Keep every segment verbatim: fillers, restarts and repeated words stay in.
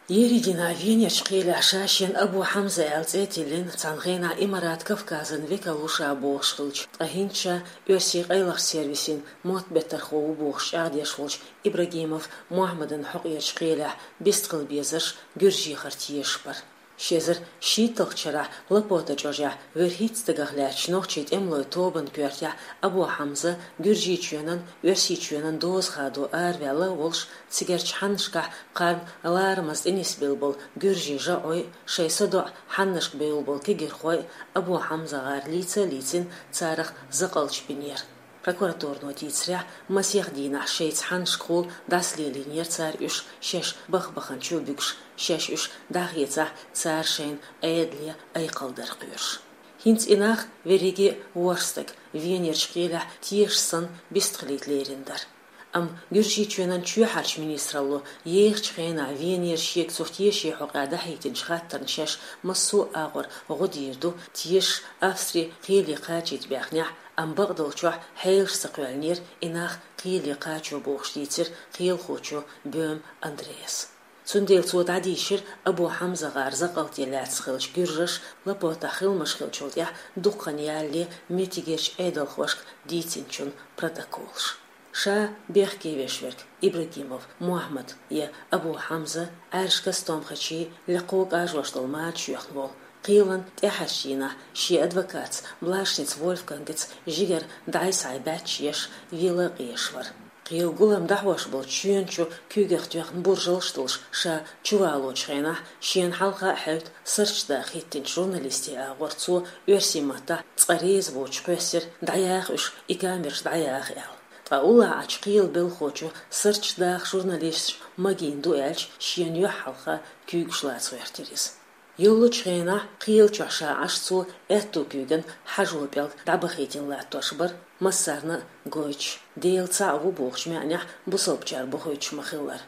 Ерригенахь Венерчу кхелехь ша шена Абу Хьамза аьлла цӀе а тиллина, цхьана хенахь Имарат Кавказан векал ву ша бохуш хилча, ткъа хӀинца ша оьрсийн къайлахчу сервисийн мотт беттархо ву бохуш чӀагӀдеш волчу Ибрагимов Мухьаммадан хьокъерчу кхелехь бистхила безарш гуьржехара тешаш бара. Ши эзар шийтталгӀачу шарахь Лапота чӀожехь вуьрхӀитта стагах лаьттачу нохчийн тӀемалойн тобанан коьртехь Абу Хьамза Гуьржийчоьнан, Оьрсийчоьнан доза хадо араваьлла а волуш, цигарчу хьаннашкахь кхарна ларамаза тӀе нисбелла болу гуьржийн жаӀой, шайн садоӀу хьаннашка бевлла болу кегийрхой Абу ХьамзагӀар лийца а лийцина, царах закъалташ бинера. Прокуратуро дийцарехь, масех дийнахь шайца хьаннашкахула дӀасалелийнера цара уьш, шаьш бах-баханчу буьгуш, шаьш уьш дӀахецахь, цара шайна Ӏедале айкхалдар кхоьруш. ХӀинца и нах, верриге а ворхӀ стаг, Венерчу кхелехь тешаш санна бистхилийта лерина дара. Амма Гуьржийчоьнан чоьхьарчу министралло ехачу хенахь Венера шега цу тешан хьокъехь дӀахьийтинчу хаттарна шаьш массо а агӀор гӀо дийр ду, тешаш Австри кхеле кхачийта баьхнехь, амма бакъдолчохь хьелаш ца кхоьллинера и нах кхеле кхачо бохуш, дийцира кхелахочо Бём Андреас. Цундела цо дӀадийшира Абу ХьамзагӀар закъалте лаьцна хиллачу гуьржаша Лапотахь хиламаш хиллачул тӀаьхьа дукха хан ялале меттигерчу Ӏедалхошка дийцинчун протоколаш. Ша бехке веш верг Ибрагимов Мухьаммад я Абу Хьамза Ӏаьржачу кастомхачийн лекхо кӀажош долу мада чоьхна волу, кхелан тӀаьхьарчу дийнахь шен адвокатца Блашница Вольфгангаца жигара дӀай-схьай баьчча еш, вела а къезаш вара. Кхелан гулам дӀахьош болчу шена чу куьйгах тоьхна буржалш а долуш, ша чувалочу хенахь шена хьалха а хьаьвта, сарчу даха хӀиттинчу журналистийн агӀор цо оьрсийн маттахь цкъа реза воцуш кхоьссира: «ДӀаяха уьш, и камераш дӀаяха», — аьлла. Ткъа уллохь Ӏачу кхелан белхахочо сарчу даха журналисташ магийна ду аьлча, шена юьхь хьалха куьйгаш лаца гӀоьртира иза. Йоллучу хенахь кхелан чохь ша Ӏаш, цо аьтту куьйган хьажо пӀелг дӀабахийтина латтош бара, массарна а гойтуш: «Дела цхьаъ ву» бохучу маьӀнехь бусалбачара бохуьйтуш ма-хиллара.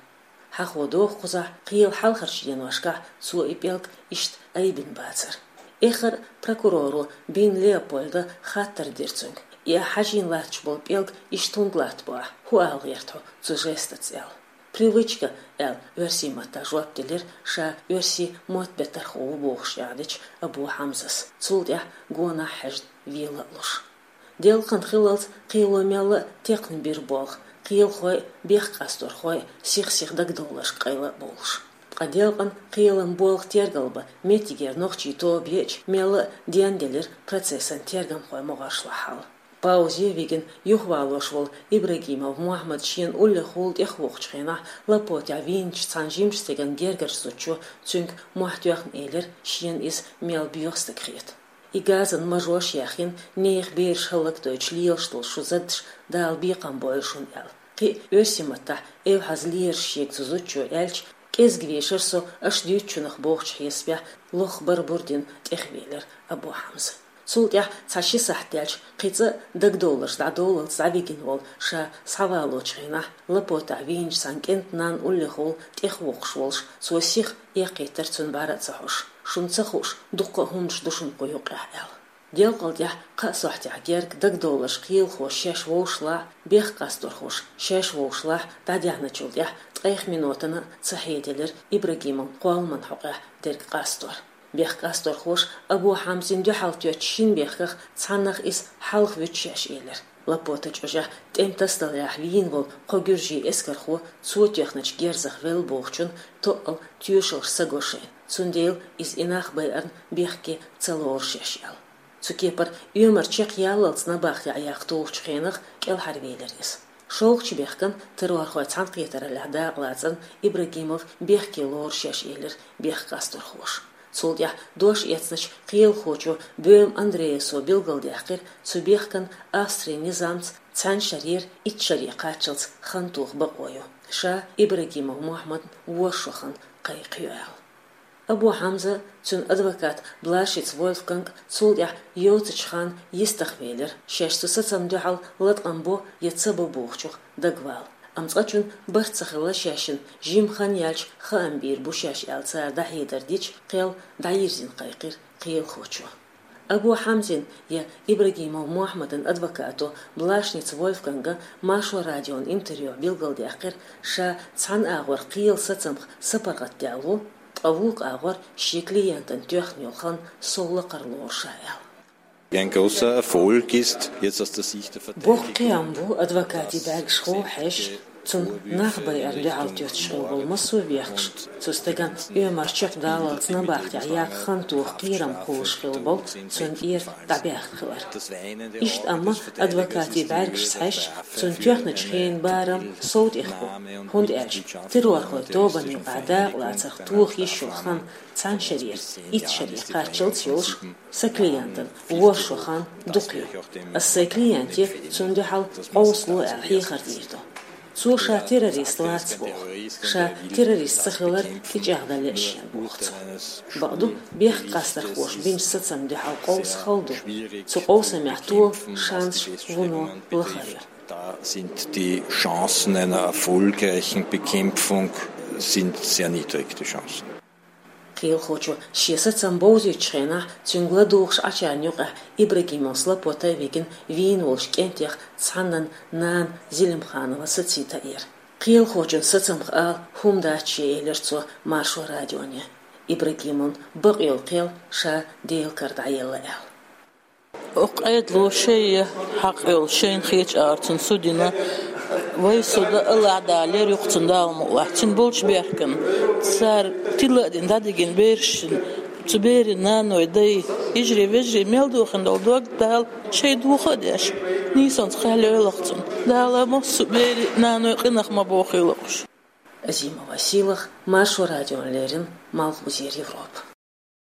Хьахо доху кхузахь, кхелан хьалхарчу деношкахь цо и пӀелг иштта айбина бацара. Эххар а прокуроро Бин Леопольда хаттар дира цуьнга: «И ахь хьажийна латташ болу пӀелг иштта хӀунда латтабо ахь? ХӀун ала гӀерта хьо цу жестаца?» — аьлла. «Привычка», — аьлла, оьрсийн маттахь жоп делира ша оьрсийн мотт беттархо ву бохуш чӀагӀдечу Абу Хьамзас, цул тӀаьхьа гонах хьаьжна вела а луш. Делкъан хиллалц кхело мелла а текхна бира болх, кхелахой а, бехк къасторхой а сих-сиха дагадовларшка къайла а бовлуш. Ткъа делкъан, кхелан болх тергал бан меттигера нохчийн тоба еача, мелла а денделира процессан тергамхойн могӀаршлахь хьал. Паузе вигина юхавалош волу Ибрагимов Мухьаммад шена уллехула тӀехвоккхучу хенахь Лапотехь вийначу цхьана жимачу стеган гергарчу зудчо цуьнга мохь тоьхна элира, шена иза мел боьха стаг хета. И газан мажош яьхна, нехан бераш хӀаллакдойтуш лелаш долу шун заддаш Дала бекхам бойла шуна аьлла. Кхин а оьрсийн маттахь эвхьаза лераш шега цу зудчо аьлча, кӀезга вешара со аша дуьйцучунах бохучу хьесапехь лохбар-бур дина тӀехвелира Абу Хьамза. Цул тӀаьхьа цхьа ши сахьт даьлча, кхин цкъа а дагадовларш дӀадовллалц дӀавигина волу, ша схьавалочу хенахь Лапотехь вийначу цхьана кӀентан нана уллехула тӀехвоккхуш волуш, цо сиха эккхийтира цуьнан бӀаьра а ца хьош. «Шуна ца хууш дуккха а хӀуманаш ду шуна кху юккъехь», — аьлла. Делкъал тӀаьхьа кхаа сохьтехь герга дагадовларш кхелахоша шаьш вовшашлахь, бехк къасторхоша шаьш вовшашлахь дӀадаьхьначул тӀаьхьа ткъех минотана а ца хьеделира Ибрагимовн кхолламан хьокъехь дерг къастор. Бехк къасторхоша Абу Хьамзина дуьхьал тоьттучу шина бехках цхьаннах иза хьалха вуьту шаьш элира. Лапота чӀожехь тӀеман тасадаларехь вийна волу кхо гуьржийн эскархо цо тоьхначу герзах велла бохучун тоъал тоьшаллаш ца го шайна, цундела иза и нах байарна бехке ца лору шаьш аьлла. Цу кепара оьмар чекхъяллалц набахтехь яккха тухучу хенах кӀелхьарвелира иза. ШолгӀачу бехкана, террорхойн цхьаьнакхетараллехь дакъалацарна, Ибрагимов бехке лору шаьш элира бехк къасторхоша. Цул тӀаьхьа дош эцначу кхелахочо Бём Андреасо билгалдаьккхира, цу бехкана Австрин низамца цхьана шарера итт шаре кхаччалц хан тоха бакъо ю. Ша Ибрагимов Мухьаммадна ворхӀ шо хан кхайкхайо аьлла. Абу Хьамза, цуьнан адвокат Блашиц Вольфганг цул тӀаьхьа йоцучу ханна йистах велира, шаьш цу сацамна дуьхьал латкъам бо я ца бо бохучух дагавала. Амма цкъачунна барт ца хилла шаьшшинна, жима хан яьлча хаам бийр бу шаьш аьлла цара дӀахьедар дича, кхел дӀайирзина кхайкхира кхелахочо. Абу Хьамзин я Ибрагимов Мухьаммадан адвокато Блашница Вольфганга Маршо радион интервьюхь билгалдаьккхира, ша цхьана агӀор кхелан сацамах сапаргӀатдаьлла ву, ткъа вукху агӀор шен клиентана тоьхна йолу хан сов лакхара лору ша аьлла. Ein großer Erfolg ist, jetzt aus der Sicht der Verteidigung. Боккха кхиам бу адвокатийн бӀаьргашхо хьаьжча, цунна нах байарна дуьхьал тоьттуш хилла болу массо а бехкаш, цу стагана оьмар чекхдаллалц набахтехь яккха хан тоха кхерам кхуллуш хилла болу цунна тӀера дӀабаьхна хилар. Иштта амма адвокатийн бӀаьргашца хьаьжча, цунна тоьхначу хенан барам сов тӀехь бу, хӀунда аьлча террорхойн тобанна юкъахь дакъалацарх тоха йиш йолу хан цхьана шарера итт шаре кхаччалц йолуш, сан клиентан ворхӀ шо хан дукха ю. Ас сайн клиенте цунна дуьхьал къовсало аьлла хьехар дийр ду. Цо ша террорист вац боху, ша террорист ца хилар тӀечӀагӀдан лаьа шена боху цо. Бакъду, бехк къастархоша бинчу сацамна дуьхьал къовса хала ду. Цу къовсамехь тола шанс вуно лахара ю. Da sind die Chancen einer erfolgreichen Bekämpfung sind sehr niedrig, die Chancen. Кхелахочо шен сацам бовзуьйтучу хенахь, цуьнга ладугӀуш Ӏачарна юкъахь Ибрагимов Слапота а вигина вийна волчу кӀентех цхьаннан нана Зелимханова сацийта эр. Кхелахочун сацамах ала хӀума дац шен, элира цо Маршо радионе. Ибрагимовна бакъйолу кхел ша Делан кара дӀаелла аьлла. Оцу къедало шайн хьакъ йолу шайна хеташ ара цунна судина, вай суда Аллахь Дала лер юкъа цунна Дала мукъалахь. Цуьнан болчу бехкана цара тилла а дина, дӀадигина берашна, цу берийн наной, дай, йижарий, вежарий мел дохийна долу дог Дала шайн дохо а деш, нийсонца кхел йойла-кх цунна. Дала массо а берийн наной къинах ма бохийла-кх уьш. Азимова Сийлаха, Маршо радиона леррина, Малхбузера Европа.